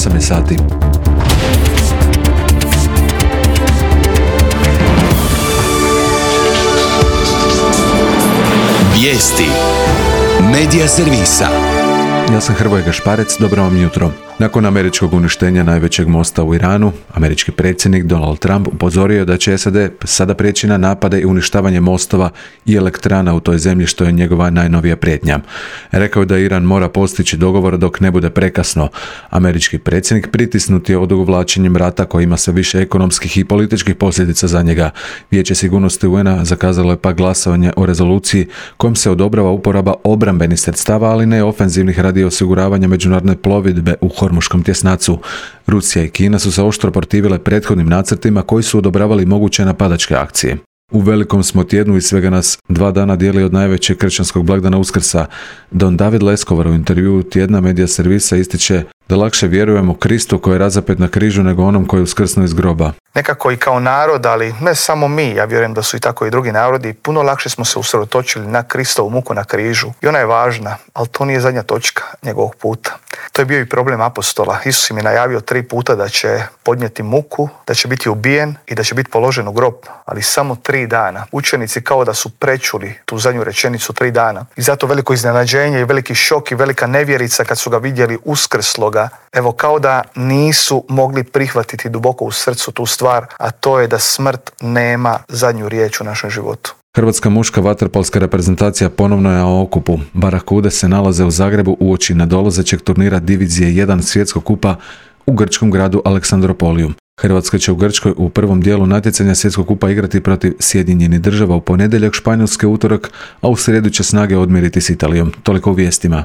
8 je sati. Vijesti Medija servisa. Ja sam Hrvoje Gašparec, dobro vam jutro. Nakon američkog uništenja najvećeg mosta u Iranu, američki predsjednik Donald Trump upozorio je da će SAD sada prijeći na napade i uništavanje mostova i elektrana u toj zemlji, što je njegova najnovija prijetnja. Rekao je da Iran mora postići dogovor dok ne bude prekasno. Američki predsjednik pritisnut je odugovlačenjem rata koji ima sve više ekonomskih i političkih posljedica za njega. Vijeće sigurnosti UN-a zakazalo je pak glasovanje o rezoluciji kojom se odobrava uporaba obrambenih sredstava, ali ne ofenzivnih, radi osiguravanja međunarodne plovidbe u Hormuškom tjesnacu. Rusija i Kina su se oštro protivile prethodnim nacrtima koji su odobravali moguće napadačke akcije. U velikom smo tjednu i svega nas 2 dana dijeli od najvećeg kršćanskog blagdana Uskrsa. Don David Leskovar u intervjuu tjedna Medija servisa ističe da lakše vjerujemo Kristu koji je razapet na križu nego onom koji je uskrsnuo iz groba. Nekako i kao narod, ali ne samo mi, ja vjerujem da su i tako i drugi narodi, puno lakše smo se usredotočili na Kristovu muku na križu. I ona je važna, ali to nije zadnja točka njegovog puta. To je bio i problem apostola. Isus im je najavio 3 puta da će podnijeti muku, da će biti ubijen i da će biti položen u grob, ali samo 3 dana. Učenici kao da su prečuli tu zadnju rečenicu 3 dana. I zato veliko iznenađenje i veliki šok i velika nevjerica kad su ga vidjeli uskrsloga. Evo, kao da nisu mogli prihvatiti duboko u srcu tu stvar, a to je da smrt nema zadnju riječ u našem životu. Hrvatska muška vaterpolska reprezentacija ponovno je na okupu. Barakude se nalaze u Zagrebu uoči nadolazećeg turnira Divizije 1 svjetskog kupa u grčkom gradu Aleksandropoliju. Hrvatska će u Grčkoj u prvom dijelu natjecanja svjetskog kupa igrati protiv Sjedinjenih Država u ponedjeljak, Španjolske utorak, a u srijedu će snage odmjeriti s Italijom. Toliko u vijestima.